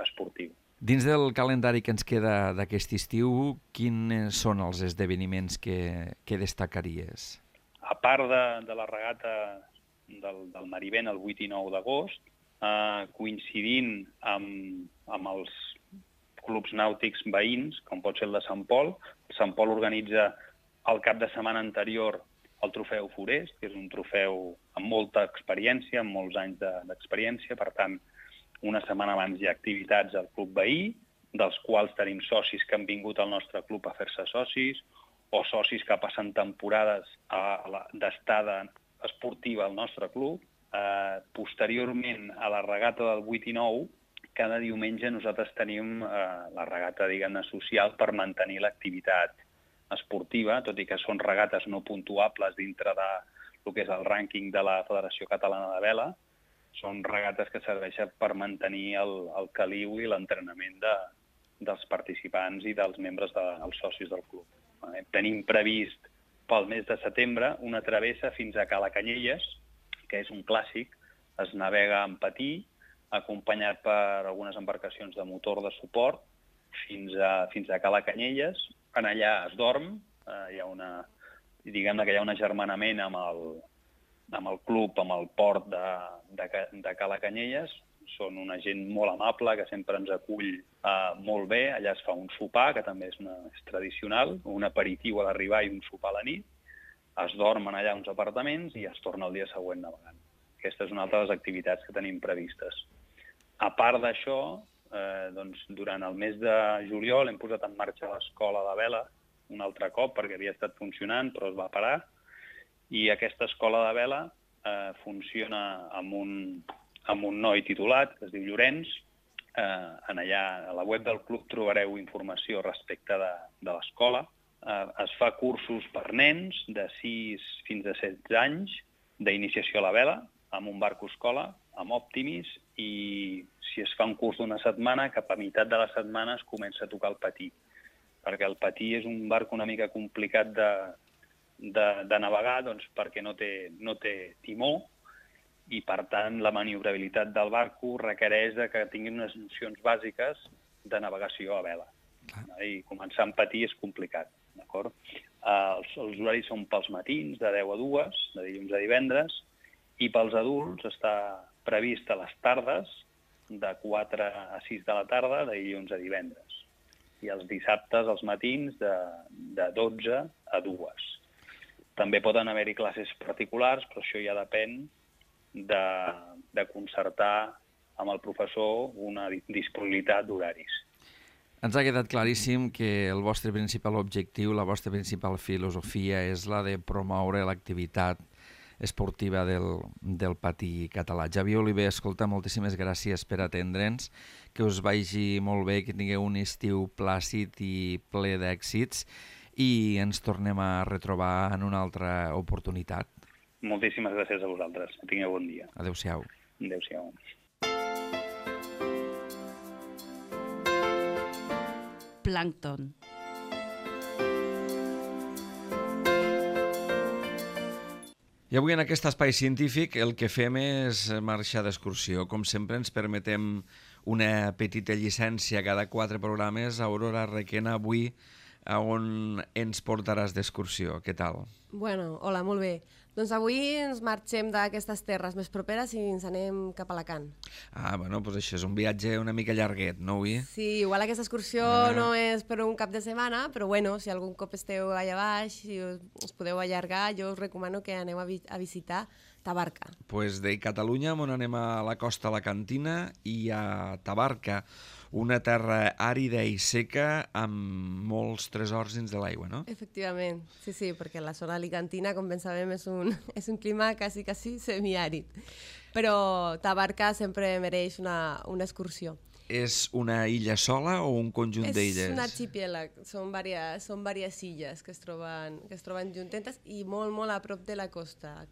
[SPEAKER 7] esportiu.
[SPEAKER 2] Dins del calendari que ens queda d'aquest estiu, quins són els esdeveniments que destacaries?
[SPEAKER 7] A part de la regata del Marivent el 8 i 9 d'agost, coincidint amb els clubs nàutics veïns, com pot ser el de Sant Pol. Sant Pol organitza el cap de setmana anterior el trofeu Forest, que és un trofeu amb molta experiència, amb molts anys d'experiència. Per tant, una setmana abans hi ha activitats al club veí, dels quals tenim socis que han vingut al nostre club a fer-se socis, o socis que passen temporades d'estada esportiva al nostre club. Posteriorment, a la regata del 8 i 9, cada diumenge nosaltres tenim la regata, diguem-ne, social per mantenir l'activitat esportiva, tot i que són regates no puntuables dintre del que és el rànquing de la Federació Catalana de Vela. Són regates que serveixen per mantenir el caliu i l'entrenament dels participants i dels membres dels socis del club. Tenim previst pel mes de setembre una travessa fins a Cala Canyelles, que és un clàssic. Es navega en patí, acompanyat per algunes embarcacions de motor de suport, fins a Cala Canyelles. En allà es dorm, diguem-ne que hi ha un agermanament amb el club, amb el port de Cala Canyelles. Són una gent molt amable, que sempre ens acull molt bé. Allà es fa un sopar, que també és tradicional, un aperitiu a l'arribar i un sopar a la nit. Es dormen allà uns apartaments i es torna el dia següent navegant. Aquesta és una altra de les activitats que tenim previstes. A part d'això, durant el mes de juliol hem posat en marxa l'escola de vela un altre cop, perquè havia estat funcionant, però es va parar. I aquesta escola de vela funciona amb un noi titulat, que es diu Llorenç. Allà, a la web del club, trobareu informació respecte de l'escola. Es fa cursos per nens de 6 fins a 16 anys d'iniciació a la vela, amb un barco escola, amb Optimis, i si es fa un curs d'una setmana, cap a meitat de la setmana es comença a tocar el patí, perquè el patí és un barco una mica complicat de navegar, doncs, perquè no té timó, i per tant la maniobrabilitat del barco requereix que tinguin unes nocions bàsiques de navegació a vela. I començar en patí és complicat, d'acord? Els horaris són pels matins, de 10 a 2, de dilluns a divendres, i pels adults està previst a les tardes, de 4 a 6 de la tarda, de dilluns a divendres. I els dissabtes, als matins, de 12 a 2. També poden haver-hi classes particulars, però això ja depèn de concertar amb el professor una disponibilitat d'horaris.
[SPEAKER 2] Ens ha quedat claríssim que el vostre principal objectiu, la vostra principal filosofia és la de promoure l'activitat esportiva del patí català. Xavier Oliver, escolta, moltíssimes gràcies per atendre'ns, que us vagi molt bé, que tingueu un estiu plàcid i ple d'èxits i ens tornem a retrobar en una altra oportunitat.
[SPEAKER 7] Moltíssimes gràcies a vosaltres. Que tingueu bon dia.
[SPEAKER 2] Adéu-siau.
[SPEAKER 7] Adéu-siau.
[SPEAKER 1] Plàncton.
[SPEAKER 2] I avui en aquest espai científic el que fem és marxar d'excursió. Com sempre ens permetem una petita llicència cada 4 programes. Aurora Requena, avui a on ens portaràs d'excursió? Què tal?
[SPEAKER 8] Bueno, hola, molt bé. Doncs avui ens marxem d'aquestes terres més properes i ens anem cap a Alacant.
[SPEAKER 2] Bueno, doncs això és un viatge una mica llarguet, no, avui?
[SPEAKER 8] Sí, igual aquesta excursió no és per un cap de setmana, però bueno, si algun cop esteu allà baix i us podeu allargar, jo us recomano que aneu a visitar Tabarca.
[SPEAKER 2] Doncs de Catalunya on anem a la costa alacantina i a Tabarca, una terra àrida i seca amb molts tresors dins de l'aigua, no?
[SPEAKER 8] Efectivament, sí, perquè la zona alicantina, com ben sabem, és un clima quasi semiàrid. Però Tabarca sempre mereix una excursió.
[SPEAKER 2] És una illa sola o un conjunt d'illes?
[SPEAKER 8] És un arxipèlag, són diverses illes que es troben juntetes i molt, molt a prop de la costa.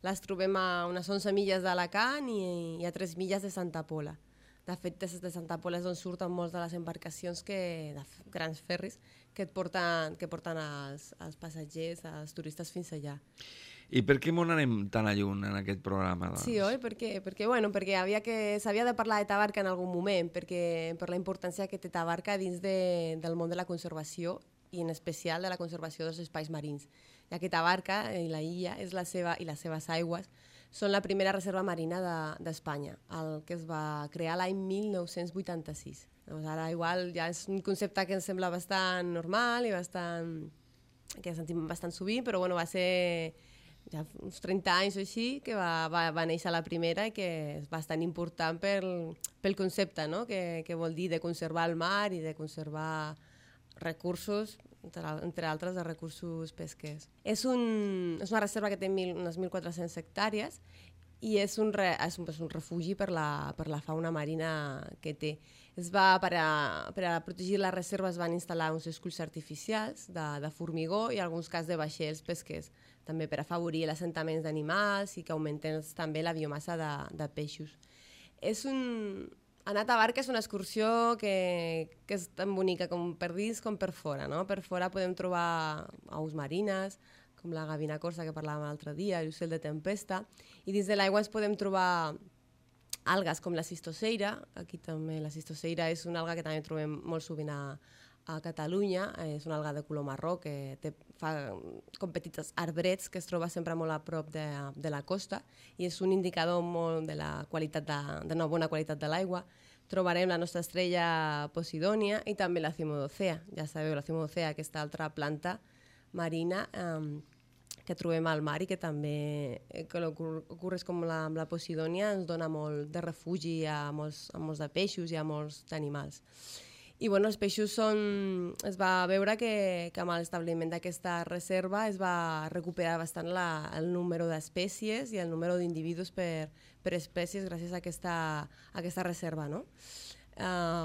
[SPEAKER 8] Les trobem a unes 11 milles d'Alacant i a 3 milles de Santa Pola. De fet, des de Santa Pola és on surten molts de les embarcacions, de grans ferris, que porten els passatgers, els turistes fins allà.
[SPEAKER 2] I per què m'on anem tan a lluny en aquest programa? Doncs?
[SPEAKER 8] Sí, oi? Perquè s'havia de parlar de Tabarca en algun moment, per la importància que té Tabarca dins del món de la conservació i en especial de la conservació dels espais marins, ja que Tabarca i la illa i les seves aigües són la primera reserva marina d'Espanya, el que es va crear l'any 1986. Doncs ara igual ja és un concepte que ens sembla bastant normal i que sentim bastant sovint, però bueno, va ser ja uns 30 anys o així que va néixer la primera i que és bastant important pel concepte, no? que vol dir de conservar el mar i de conservar recursos, entre altres de recursos pesquers. És una reserva que té unes 1.400 hectàrees i és un refugi per la fauna marina que té. Per a protegir la reserva es van instal·lar uns esculls artificials de formigó i en alguns casos de vaixells pesquers, també per afavorir l'assentament d'animals i que augmenten també la biomassa de peixos. Anar a Tabarca és una excursió que és tan bonica com per dins com per fora. No? Per fora podem trobar aus marines, com la gavina corsa que parlàvem l'altre dia, l'ocell de tempesta, i dins de l'aigua ens podem trobar algues com la cistoceira. Aquí també la cistoceira és una alga que també trobem molt sovint a Catalunya, és una alga de color marró que fa com petits arbrets que es troba sempre molt a prop de la costa i és un indicador molt de la qualitat d'una bona qualitat de l'aigua. Trobarem la nostra estrella Posidònia i també la cimodocea. Ja sabeu, la cimodocea, aquesta altra planta marina que trobem al mar i que també ocorres com amb la Posidònia ens dona molt de refugi a molts de peixos i a molts d'animals. I bueno, els peixos es va veure que amb l'establiment d'aquesta reserva es va recuperar bastant el número d'espècies i el número d'individus per espècies gràcies a aquesta reserva, no?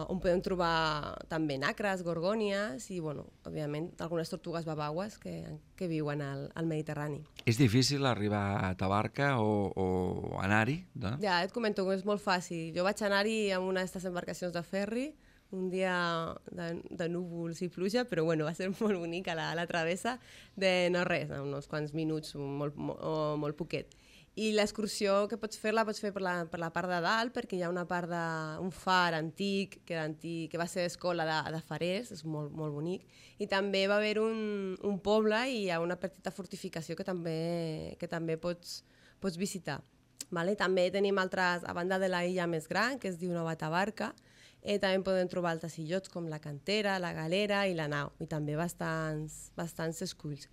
[SPEAKER 8] On podem trobar també nacres, gorgònies i, bueno, òbviament, algunes tortugues babaues que viuen al Mediterrani.
[SPEAKER 2] És difícil arribar a Tabarca o anar-hi?
[SPEAKER 8] Ja, et comento que és molt fàcil. Jo vaig anar-hi amb una d'aquestes embarcacions de ferri un dia de núvols i pluja, però bueno, va ser molt bonica la travessa de no res, uns quants minuts o molt poquet. I l'excursió que pots fer per la part de dalt, perquè hi ha una part d'un far antic, que va ser escola de farers, és molt, molt bonic, i també va haver un poble i hi ha una petita fortificació que també pots visitar. Vale? També tenim altres, a banda de la illa més gran, que es diu Nova Tabarca, també podem trobar altres illots com la Cantera, la Galera i la Nau, i també bastants esculls.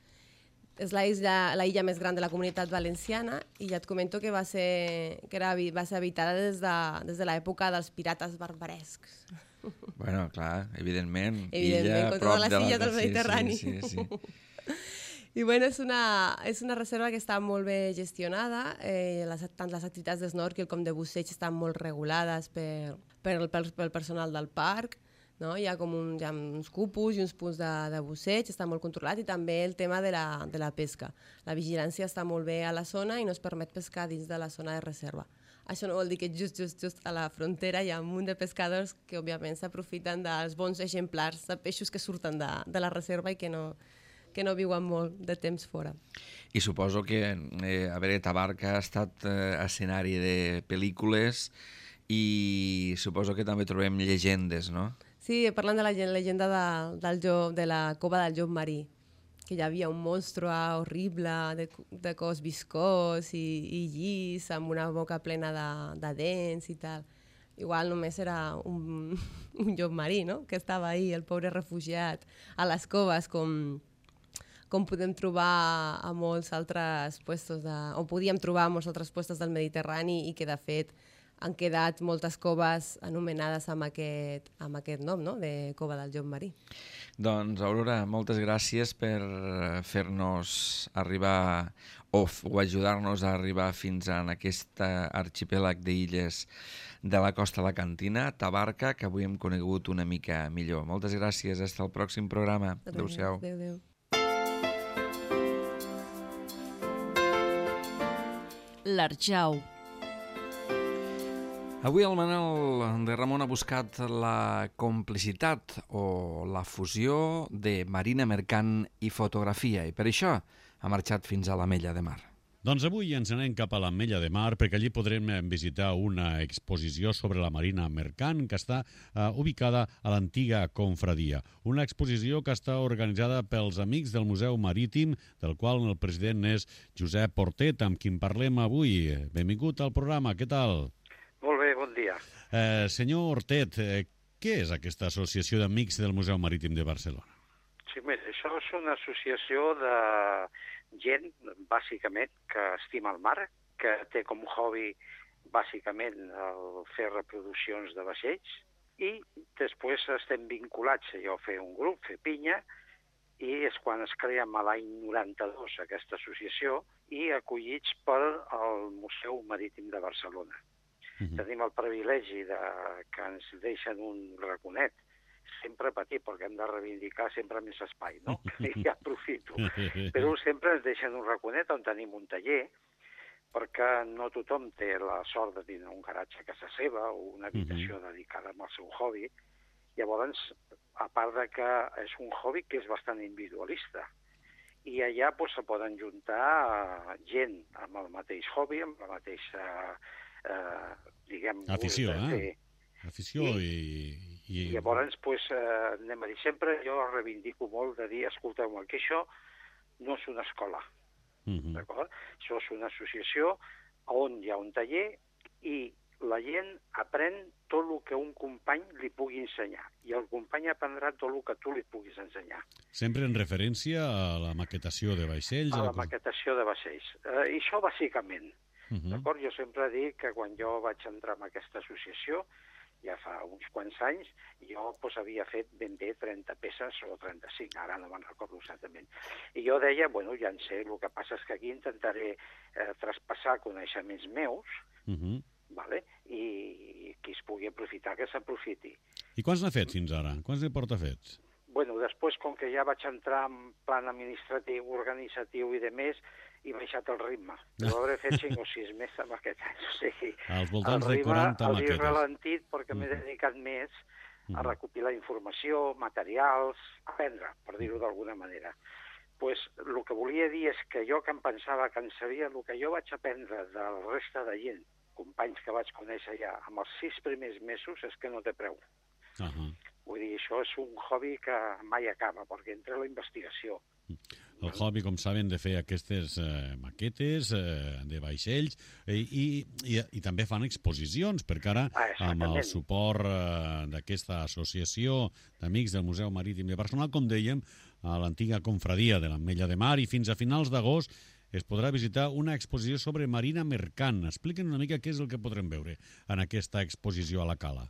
[SPEAKER 8] És la illa més gran de la Comunitat Valenciana i ja et comento que va ser habitada des de l'època dels pirates barbarescs.
[SPEAKER 2] Bueno, clar, evidentment.
[SPEAKER 8] Evidentment, com totes les illes del Mediterrani.
[SPEAKER 2] Sí.
[SPEAKER 8] I bueno, és una reserva que està molt bé gestionada, tant les activitats d'snorkel com de busseig estan molt regulades pel personal del parc, no? Hi ha uns cupos i uns punts de busseig, està molt controlat, i també el tema de la pesca. La vigilància està molt bé a la zona i no es permet pescar dins de la zona de reserva. Això no vol dir que just a la frontera hi ha un munt de pescadors que òbviament s'aprofiten dels bons exemplars de peixos que surten de la reserva i que no viuen molt de temps fora.
[SPEAKER 2] I suposo que, Tabarca ha estat escenari de pel·lícules i suposo que també trobem llegendes, no?
[SPEAKER 8] Sí, parlant de la llegenda de la cova del llop marí, que hi havia un monstre horrible de cos viscós i llis, amb una boca plena de dents i tal. Igual només era un llop marí, no?, que estava ahí, el pobre refugiat, a les coves, com podem trobar a molts altres puestos o podíem trobar a molts altres puestos del Mediterrani i que, de fet, han quedat moltes coves anomenades amb aquest nom, no?, de Cova del Llop Marí.
[SPEAKER 2] Doncs, Aurora, moltes gràcies per fer-nos arribar o ajudar-nos a arribar fins a aquest arxipèlag d'illes de la costa alacantina, Tabarca, que avui hem conegut una mica millor. Moltes gràcies, fins al pròxim programa. Adéu-siau.
[SPEAKER 8] Adéu.
[SPEAKER 1] L'Arjau.
[SPEAKER 2] Avui el Manel de Ramon ha buscat la complicitat o la fusió de marina mercant i fotografia, i per això ha marxat fins a l'Ametlla de Mar.
[SPEAKER 9] Doncs avui ens anem cap a l'Ametlla de Mar perquè allí podrem visitar una exposició sobre la marina mercant que està ubicada a l'antiga confradia. Una exposició que està organitzada pels amics del Museu Marítim, del qual el president és Josep Portet, amb qui en parlem avui. Benvingut al programa, què tal?
[SPEAKER 10] Molt bé, bon dia.
[SPEAKER 9] Senyor Hortet, què és aquesta associació d'amics del Museu Marítim de Barcelona?
[SPEAKER 10] Sí, mira, això és una associació de gent, bàsicament, que estima el mar, que té com a hobby, bàsicament, el fer reproduccions de vaixells, i després estem vinculats a fer un grup, fer pinya, i és quan es crea l'any 92 aquesta associació, i acollits pel Museu Marítim de Barcelona. Tenim el privilegi que ens deixen un raconet, sempre petit, perquè hem de reivindicar sempre més espai, no? I ja aprofito. Però sempre ens deixen un raconet on tenim un taller, perquè no tothom té la sort de tenir un garatge a casa seva o una habitació dedicada al seu hobby. Llavors, a part de que és un hobby que és bastant individualista, i allà se poden juntar gent amb el mateix hobby, amb la mateixa, diguem...
[SPEAKER 9] Afició, Afició i...
[SPEAKER 10] Llavors, anem a dir, sempre jo reivindico molt de dir, escolteu-me, que això no és una escola, d'acord? Això és una associació on hi ha un taller i la gent aprèn tot el que un company li pugui ensenyar i el company aprendrà tot el que tu li puguis ensenyar.
[SPEAKER 9] Sempre en referència a la maquetació de vaixells?
[SPEAKER 10] A la maquetació de vaixells. I això bàsicament. D'acord? Jo sempre dic que quan jo vaig entrar en aquesta associació, ja fa uns quants anys, jo havia fet ben bé 30 peces o 35, ara no me'n recordo exactament. I jo deia, ja en sé, el que passa és que aquí intentaré traspassar coneixements meus, i qui es pugui aprofitar, que s'aprofiti.
[SPEAKER 9] I quants n'ha fet fins ara? Quants n'hi porta fets?
[SPEAKER 10] Després, com que ja vaig entrar en plan administratiu, organitzatiu i de més, he baixat el ritme. Però hauré fet 5 o 6 més amb aquest any. O sigui,
[SPEAKER 9] als voltants de 40 maquetes.
[SPEAKER 10] He ralentit perquè m'he dedicat més a recopilar informació, materials, aprendre, per dir-ho d'alguna manera. El que volia dir és que jo que em pensava que en sabia, el que jo vaig aprendre de la resta de gent, companys que vaig conèixer ja, amb els 6 primers mesos, és que no té preu. Vull dir, això és un hobby que mai acaba, perquè entra la investigació.
[SPEAKER 9] El hobby, com saben, de fer aquestes maquetes de vaixells i també fan exposicions, perquè ara, amb el suport d'aquesta associació d'amics del Museu Marítim de Barcelona, com dèiem, a l'antiga confradia de l'Ametlla de Mar, i fins a finals d'agost es podrà visitar una exposició sobre marina mercant. Expliquen una mica què és el que podrem veure en aquesta exposició a la Cala.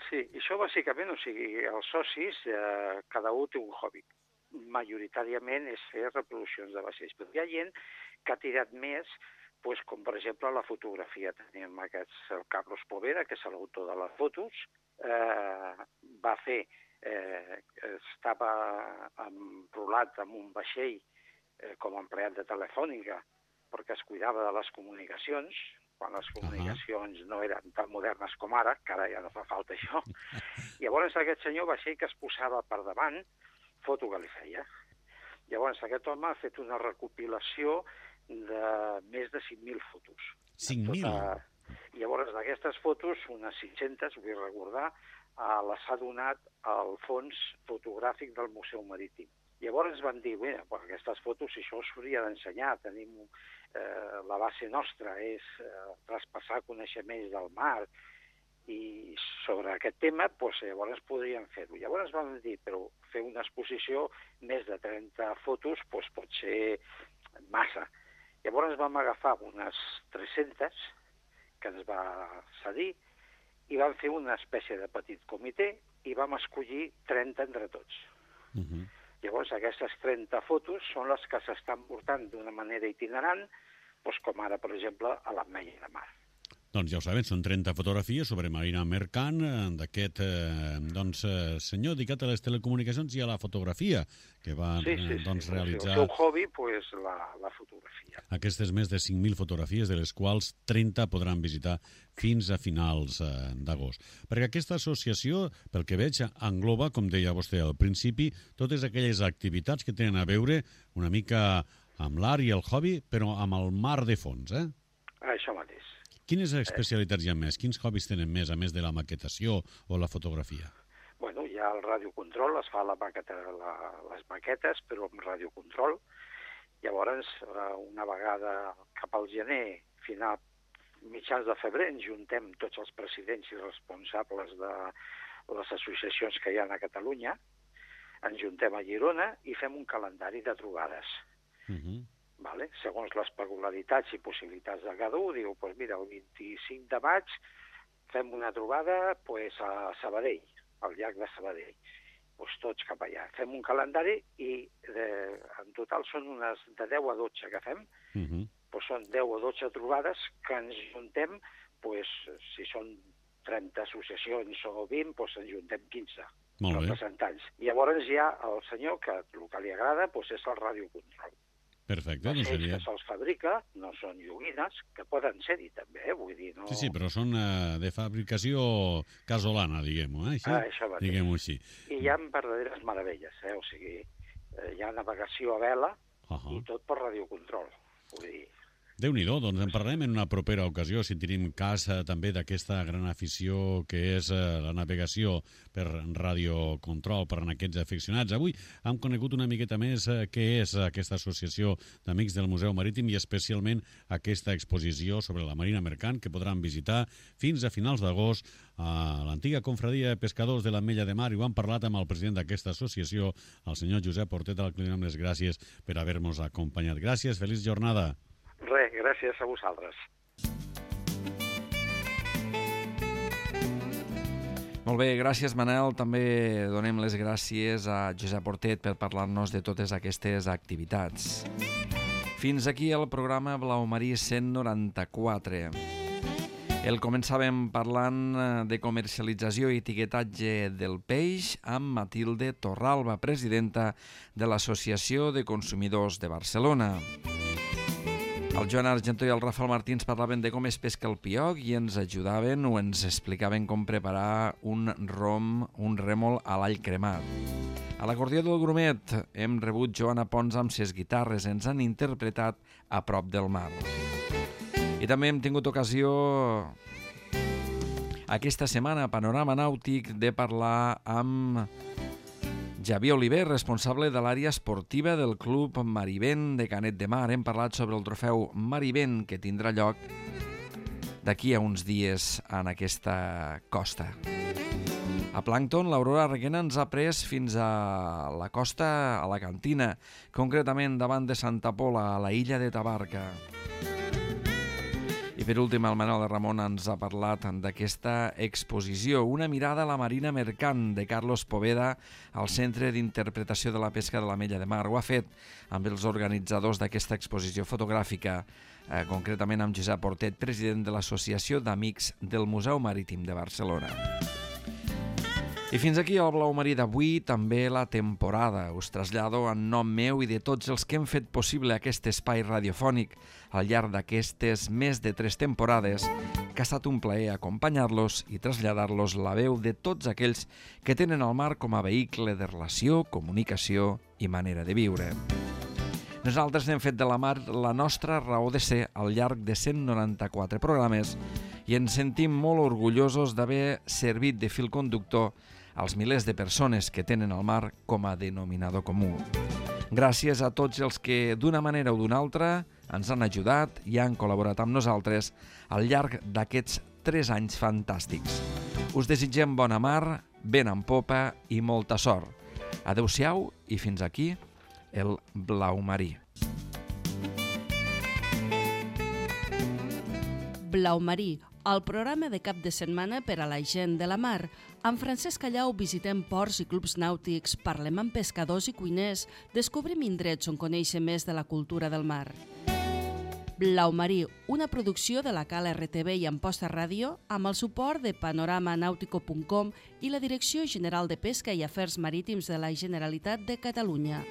[SPEAKER 10] Sí, això bàsicament, els socis, cada un té un hobby. Majoritàriament és fer reproduccions de vaixells, però hi ha gent que ha tirat més, com per exemple la fotografia. Tenim el Carlos Povera, que és l'autor de les fotos, va fer, estava enrolat en un vaixell com a empleat de Telefònica, perquè es cuidava de les comunicacions, quan les comunicacions no eren tan modernes com ara, que ara ja no fa falta això. Llavors aquest senyor vaixell que es posava per davant, foto que li feia. Llavors aquest home ha fet una recopilació de més de 5.000 fotos.
[SPEAKER 9] 5.000?
[SPEAKER 10] Llavors d'aquestes fotos, unes 500, vull recordar, les ha donat al fons fotogràfic del Museu Marítim. Llavors van dir, aquestes fotos, això s'hauria d'ensenyar, tenim la base nostra, és traspassar coneixements del mar, i sobre aquest tema, llavors podríem fer-ho. Llavors vam dir, però fer una exposició, més de 30 fotos, pot ser massa. Llavors vam agafar unes 300, que ens va cedir, i vam fer una espècie de petit comitè, i vam escollir 30 entre tots. Llavors, aquestes 30 fotos són les que s'estan portant d'una manera itinerant, com ara, per exemple, a l'Ametlla de Mar.
[SPEAKER 9] Doncs ja ho saben, són 30 fotografies sobre Marina Mercant, d'aquest senyor dedicat a les telecomunicacions i a la fotografia, que va realitzar...
[SPEAKER 10] El seu hobby, la fotografia.
[SPEAKER 9] Aquestes més de 5.000 fotografies, de les quals 30 podran visitar fins a finals d'agost. Perquè aquesta associació, pel que veig, engloba, com deia vostè al principi, totes aquelles activitats que tenen a veure una mica amb l'art i el hobby, però amb el mar de fons,
[SPEAKER 10] Això mateix.
[SPEAKER 9] Quines especialitats hi ha més? Quins hobbies tenen més, a més de la maquetació o la fotografia?
[SPEAKER 10] Bueno, hi ha el radiocontrol, es fa les maquetes, però amb radiocontrol. Llavors, una vegada cap al gener, mitjans de febrer, ens juntem tots els presidents i responsables de les associacions que hi ha a Catalunya, ens juntem a Girona i fem un calendari de trobades. Vale? Segons les peculiaritats i possibilitats de cada un, diu, doncs mira, el 25 de maig fem una trobada a Sabadell, al llac de Sabadell. Doncs tots cap allà. Fem un calendari i en total són unes de 10 a 12 que fem. Doncs són 10 o 12 trobades que ens juntem, si són 30 associacions o 20, doncs ens juntem 15 representants. Llavors hi ha el senyor que el que li agrada és el radiocontrol.
[SPEAKER 9] Perfecte,
[SPEAKER 10] doncs seria... que se'ls fabrica, no són joguines, que poden ser-hi també, vull dir, no...
[SPEAKER 9] Sí, però són de fabricació casolana, diguem-ho,
[SPEAKER 10] això mateix.
[SPEAKER 9] Diguem-ho així.
[SPEAKER 10] I hi ha verdaderes meravelles, o sigui, hi ha navegació a vela i tot per radiocontrol, vull dir...
[SPEAKER 9] Déu-n'hi-do, doncs en parlarem en una propera ocasió, si tenim cas també d'aquesta gran afició que és la navegació per radiocontrol per a aquests aficionats. Avui hem conegut una miqueta més què és aquesta associació d'Amics del Museu Marítim i especialment aquesta exposició sobre la Marina Mercant que podran visitar fins a finals d'agost a l'antiga confraria de pescadors de l'Ametlla de Mar i ho hem parlat amb el president d'aquesta associació, el senyor Josep Portet, al que li donem les gràcies per haver-nos acompanyat. Gràcies, feliç jornada.
[SPEAKER 10] Res, gràcies a vosaltres.
[SPEAKER 2] Molt bé, gràcies Manel. També donem les gràcies a Josep Portet per parlar-nos de totes aquestes activitats. Fins aquí el programa Blau Marí 194. El començàvem parlant de comercialització i etiquetatge del peix amb Matilde Torralba, presidenta de l'Associació de Consumidors de Barcelona. El Joan Argentó i el Rafael Martins parlaven de com es pesca el pioc i ens ajudaven o ens explicaven com preparar un rèmol a l'all cremat. A l'acordió del Grumet hem rebut Joana Pons amb ses guitarres, ens han interpretat A prop del mar. I també hem tingut ocasió aquesta setmana a Panorama Nàutic de parlar amb Javier Oliver, responsable de l'àrea esportiva del Club Marivent de Canet de Mar. Hem parlat sobre el trofeu Marivent que tindrà lloc d'aquí a uns dies en aquesta costa. A Plàncton, l'Aurora Reguena ens ha pres fins a la costa, a la Cantina, concretament davant de Santa Pola, a la illa de Tabarca. I per últim, el Manuel de Ramon ens ha parlat d'aquesta exposició, Una mirada a la Marina Mercant, de Carlos Poveda, al Centre d'Interpretació de la Pesca de l'Ametlla de Mar. Ho ha fet amb els organitzadors d'aquesta exposició fotogràfica, concretament amb Josep Portet, president de l'Associació d'Amics del Museu Marítim de Barcelona. I fins aquí el Blau Marí d'avui, també la temporada. Us trasllado en nom meu i de tots els que hem fet possible aquest espai radiofònic al llarg d'aquestes més de 3 temporades, que ha estat un plaer acompanyar-los i traslladar-los la veu de tots aquells que tenen el mar com a vehicle de relació, comunicació i manera de viure. Nosaltres hem fet de la mar la nostra raó de ser al llarg de 194 programes i ens sentim molt orgullosos d'haver servit de fil conductor als milers de persones que tenen el mar com a denominador comú. Gràcies a tots els que, d'una manera o d'una altra, ens han ajudat i han col·laborat amb nosaltres al llarg d'aquests 3 anys fantàstics. Us desitgem bona mar, vent en popa i molta sort. Adéu-siau i fins aquí el Blau Marí.
[SPEAKER 1] Blau Marí, el programa de cap de setmana per a la gent de la mar. Amb Francesc Callau visitem ports i clubs nàutics, parlem amb pescadors i cuiners, descobrim indrets on conèixer més de la cultura del mar. Blau Marí, una producció de la Cala RTV i Amposta Ràdio amb el suport de panoramanautico.com i la Direcció General de Pesca i Afers Marítims de la Generalitat de Catalunya.